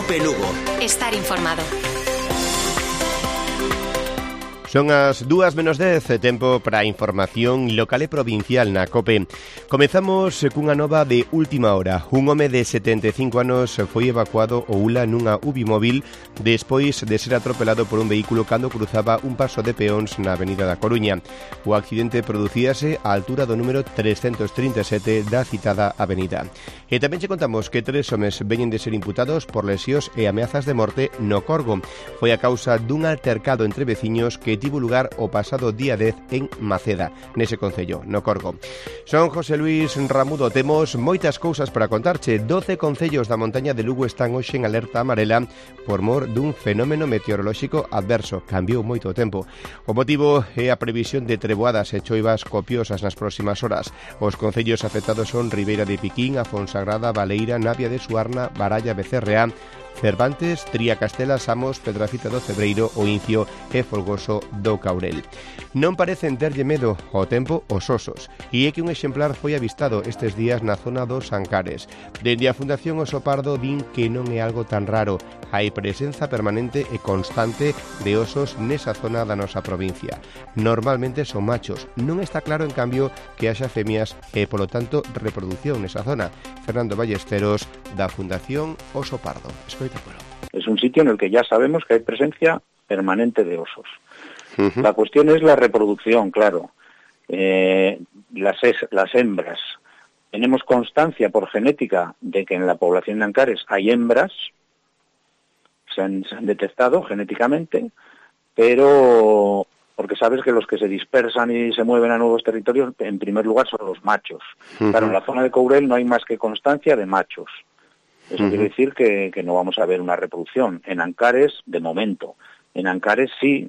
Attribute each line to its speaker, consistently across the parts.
Speaker 1: COPE Lugo.
Speaker 2: Estar informado.
Speaker 3: Son as 2:10, tempo para a información local e provincial na COPE. Comezamos cunha nova de última hora. Un home de 75 anos foi evacuado ao ULA nunha UBI móvil despois de ser atropelado por un vehículo cando cruzaba un paso de peóns na avenida da Coruña. O accidente producíase á altura do número 337 da citada avenida. E tamén che contamos que 3 homes veñen de ser imputados por lesións e ameazas de morte no Corgo. Foi a causa dun altercado entre veciños que tivo lugar o pasado día 10 en Maceda, nese concello, no Corgo. Son José Luis Ramudo, temos moitas cousas para contarche. 12 concellos da montaña de Lugo están hoxe en alerta amarela por mor dun fenómeno meteorolóxico adverso. Cambiou moito o tempo. O motivo é a previsión de treboadas e choivas copiosas nas próximas horas. Os concellos afectados son Ribeira de Piquín, Afonsagrada, Baleira, Navia de Suarna, Baralla, Becerreá, Cervantes, Tría Castela, Samos, Pedrafita do Cebreiro, o Incio e Folgoso do Caurel. Non parecen terlle medo ao tempo os osos, e é que un exemplar foi avistado estes días na zona dos Ancares. Dende a Fundación Oso Pardo din que non é algo tan raro, hai presenza permanente e constante de osos nesa zona da nosa provincia. Normalmente son machos, non está claro en cambio que haxa femias e polo tanto reproducción nesa zona. Fernando Ballesteros, da Fundación Oso Pardo.
Speaker 4: Es un sitio en el que ya sabemos que hay presencia permanente de osos. La cuestión es la reproducción, claro. Las hembras. Tenemos constancia por genética de que en la población de Ancares hay hembras, se han detectado genéticamente, pero porque sabes que los que se dispersan y se mueven a nuevos territorios, en primer lugar, son los machos. Claro, en la zona de Courel no hay más que constancia de machos. Eso quiere decir que no vamos a ver una reproducción. En Ancares, de momento. En Ancares sí,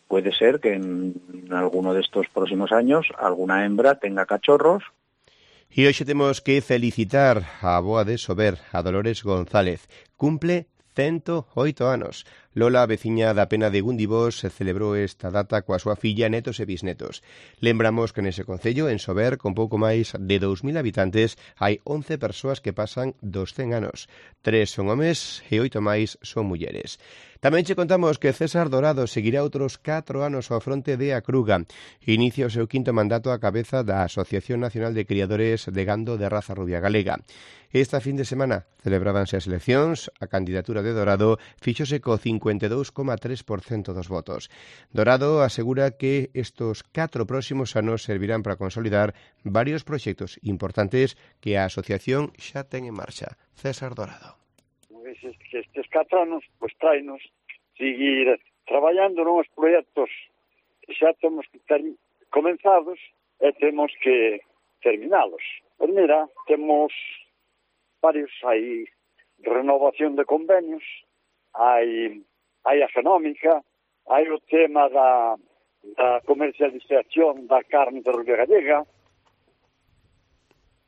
Speaker 4: puede ser que en alguno de estos próximos años alguna hembra tenga cachorros.
Speaker 3: E hoxe temos que felicitar a avoa de Sober, a Dolores González. Cumple 108 anos. Lola, veciña da Pena de Gundibós, celebrou esta data coa súa filla, netos e bisnetos. Lembramos que nese concello, en Sober, con pouco máis de 2.000 habitantes, hai 11 persoas que pasan dos 100 anos. 3 son homes e 8 máis son mulleres. Tamén che contamos que César Dorado seguirá outros 4 anos ao fronte de Acruga. Inicia o seu quinto mandato á cabeza da Asociación Nacional de Criadores de Gando de Raza Rubia Galega. Esta fin de semana celebrábanse as eleccións, a candidatura de Dorado fíxose co 52,3% dos votos. Dorado asegura que estos 4 próximos anos servirán para consolidar varios proxectos importantes que a asociación xa ten en marcha. César Dorado.
Speaker 5: Estes 4 anos, pois trainos seguir traballando nos proxectos que xa temos que ter comenzados e temos que terminalos. Pois mira, temos varios, hai renovación de convenios, hai a genómica, hai o tema da comercialización da carne de Rubia Gallega.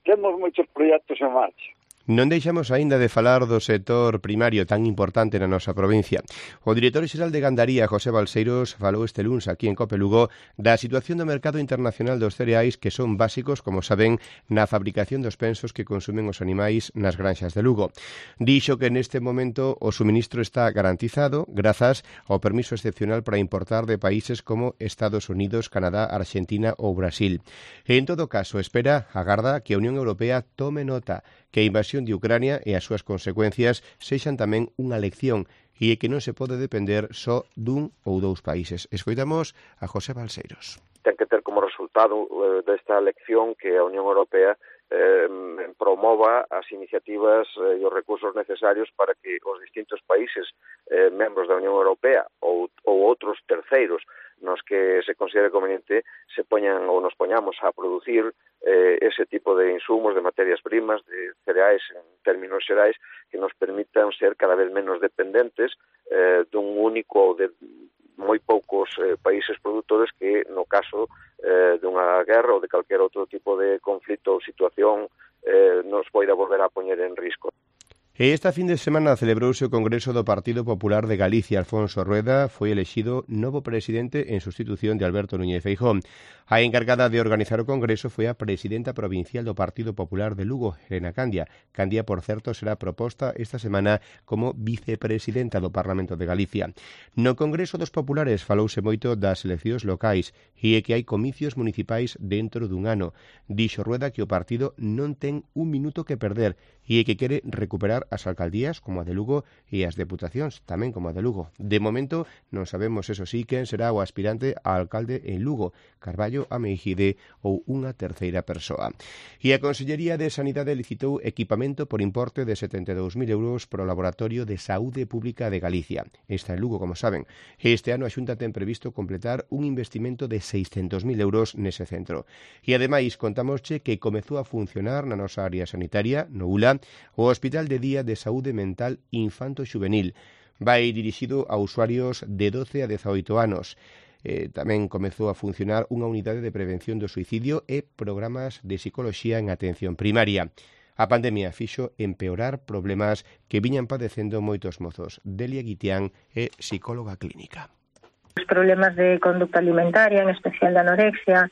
Speaker 5: Temos moitos proxectos en marcha.
Speaker 3: Non deixamos aínda de falar do sector primario tan importante na nosa provincia. O director xeral de Gandaría, José Balseiros, falou este luns aquí en COPE Lugo da situación do mercado internacional dos cereais que son básicos, como saben, na fabricación dos pensos que consumen os animais nas granxas de Lugo. Dixo que neste momento o suministro está garantizado grazas ao permiso excepcional para importar de países como Estados Unidos, Canadá, Argentina ou Brasil. E en todo caso, espera, agarda que a Unión Europea tome nota que a invasión de Ucrania e as súas consecuencias sexan tamén unha lección e que non se pode depender só dun ou dous países. Escoitamos a José Balseiros.
Speaker 6: Ten que ter como resultado desta lección que a Unión Europea promova as iniciativas e os recursos necesarios para que os distintos países membros da Unión Europea ou outros terceiros nos que se considere conveniente se poñan ou nos poñamos a producir ese tipo de insumos, de materias primas, de cereais en términos xerais que nos permitan ser cada vez menos dependentes dun único ou de moi poucos países produtores que no caso dunha guerra ou de calquer outro tipo de conflito ou situación nos poida volver a poñer en risco.
Speaker 3: E esta fin de semana celebrouse o Congreso do Partido Popular de Galicia. Alfonso Rueda foi elexido novo presidente en sustitución de Alberto Núñez Feijóo. A encargada de organizar o Congreso foi a presidenta provincial do Partido Popular de Lugo, Helena Candia. Candia, por certo, será proposta esta semana como vicepresidenta do Parlamento de Galicia. No Congreso dos Populares falouse moito das eleccións locais e é que hai comicios municipais dentro dun ano. Dixo Rueda que o partido non ten un minuto que perder e é que quere recuperar as alcaldías como a de Lugo e as deputacións tamén como a de Lugo. De momento non sabemos, eso sí, quen será o aspirante a alcalde en Lugo, Carballo, Ameijide ou unha terceira persoa. E a Consellería de Sanidade licitou equipamento por importe de 72.000 euros para o Laboratorio de Saúde Pública de Galicia. Está en Lugo, como saben. Este ano a Xunta ten previsto completar un investimento de 600.000 euros nese centro. E ademais contámosche que comezou a funcionar na nosa área sanitaria, no ULA, o Hospital de Día de Saúde Mental Infanto-Xuvenil. Vai dirixido a usuarios de 12 a 18 anos. Tamén comezou a funcionar unha unidade de prevención do suicidio e programas de psicoloxía en atención primaria. A pandemia fixo empeorar problemas que viñan padecendo moitos mozos. Delia Guitián é psicóloga clínica.
Speaker 1: Os problemas de conducta alimentaria, en especial de anorexia,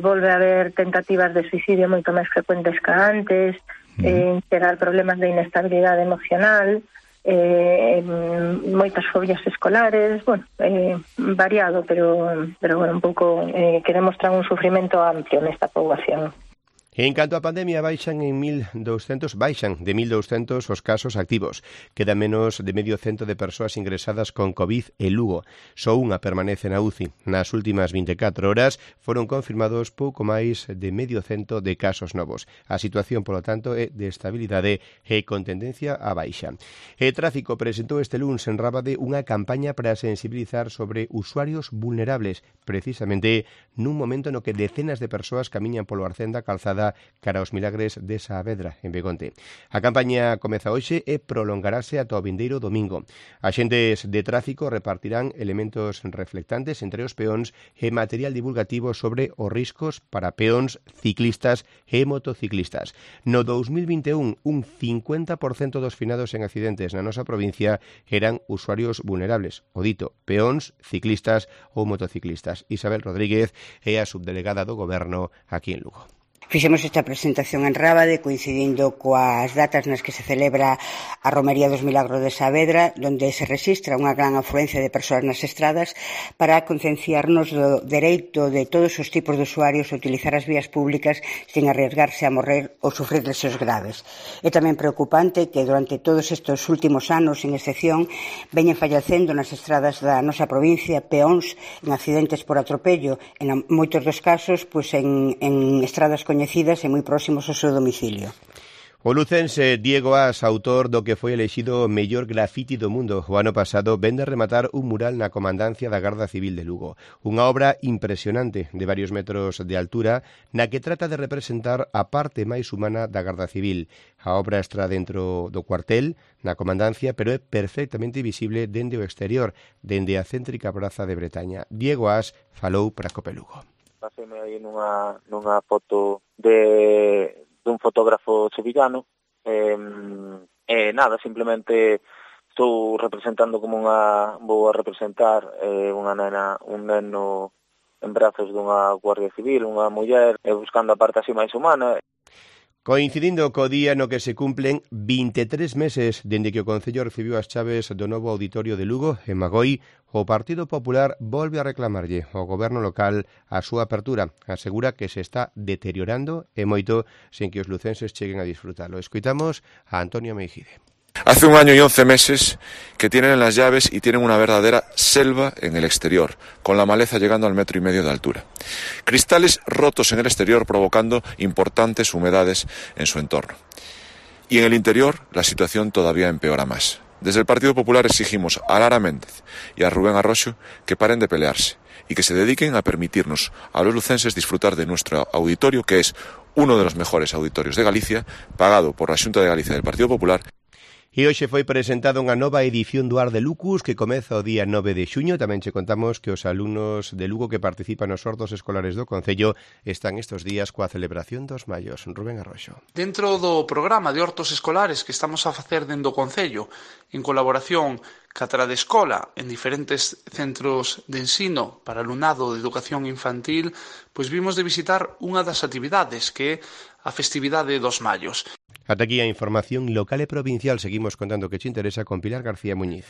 Speaker 1: volve a haber tentativas de suicidio moito máis frecuentes que antes, chegar problemas de inestabilidade emocional, moitas fobias escolares, variado, pero un pouco que demostran un sufrimento amplio nesta poboación.
Speaker 3: En canto á pandemia, baixan de 1.200 os casos activos. Queda menos de medio cento de persoas ingresadas con COVID en Lugo. Só unha permanece na UCI. Nas últimas 24 horas foron confirmados pouco máis de medio cento de casos novos. A situación, polo tanto, é de estabilidade e con tendencia á baixa. E Tráfico presentou este luns en Rábade unha campaña para sensibilizar sobre usuarios vulnerables, precisamente nun momento no que decenas de persoas camiñan polo arcén da calzada cara aos Milagres de Saavedra, en Begonte. A campaña comeza hoxe e prolongarase ata o vindeiro domingo. Axentes de tráfico repartirán elementos reflectantes entre os peóns e material divulgativo sobre os riscos para peóns, ciclistas e motociclistas. No 2021, un 50% dos finados en accidentes na nosa provincia eran usuarios vulnerables, o dito, peóns, ciclistas ou motociclistas. Isabel Rodríguez é a subdelegada do Goberno aquí en Lugo.
Speaker 2: Fixemos esta presentación en Rábade coincidindo coas datas nas que se celebra a Romería dos Milagros de Saavedra, onde se rexistra unha gran afluencia de persoas nas estradas para concienciarnos do dereito de todos os tipos de usuarios a utilizar as vías públicas sin arriesgarse a morrer ou sufrir lesiones graves. É tamén preocupante que durante todos estes últimos anos, sin excepción, veñen fallecendo nas estradas da nosa provincia peóns en accidentes por atropello, en moitos dos casos en estradas coñecidas e moi próximos ao seu domicilio.
Speaker 3: O lucense Diego As, autor do que foi elexido mellor grafiti do mundo o ano pasado, vende a rematar un mural na comandancia da Garda Civil de Lugo. Unha obra impresionante de varios metros de altura na que trata de representar a parte máis humana da Garda Civil. A obra está dentro do cuartel, na comandancia, pero é perfectamente visible dende o exterior, dende a céntrica praza de Bretaña. Diego As falou para Cope Lugo.
Speaker 4: Paséme aí nunha foto dun fotógrafo sevillano nada, simplemente estou representando vou a representar unha nena, un neno en brazos dunha guardia civil, unha muller buscando a parte así máis humana.
Speaker 3: Coincidindo co día no que se cumplen 23 meses dende que o Concello recibiu as chaves do novo auditorio de Lugo, en Magoi, o Partido Popular volve a reclamarlle ao goberno local a súa apertura. Asegura que se está deteriorando e moito sen que os lucenses cheguen a disfrutalo. Escoitamos a Antonio Meijide.
Speaker 7: Hace 1 año y 11 meses que tienen las llaves y tienen una verdadera selva en el exterior, con la maleza llegando al 1,5 metros de altura. Cristales rotos en el exterior provocando importantes humedades en su entorno. Y en el interior la situación todavía empeora más. Desde el Partido Popular exigimos a Lara Méndez y a Rubén Arroxo que paren de pelearse y que se dediquen a permitirnos a los lucenses disfrutar de nuestro auditorio, que es uno de los mejores auditorios de Galicia, pagado por la Xunta de Galicia del Partido Popular.
Speaker 3: E hoxe foi presentada unha nova edición do Ar de Lucus que comeza o día 9 de xuño. Tamén che contamos que os alumnos de Lugo que participan nos hortos escolares do Concello están estes días coa celebración dos Mallos. Rubén Arroxo.
Speaker 8: Dentro do programa de hortos escolares que estamos a facer dentro do Concello, en colaboración ca Trade Escola en diferentes centros de ensino para alumnado de educación infantil, pois vimos de visitar unha das actividades que é a festividade dos Mallos.
Speaker 3: Ata aquí a información local e provincial. Seguimos contando que che interesa con Pilar García Muñiz.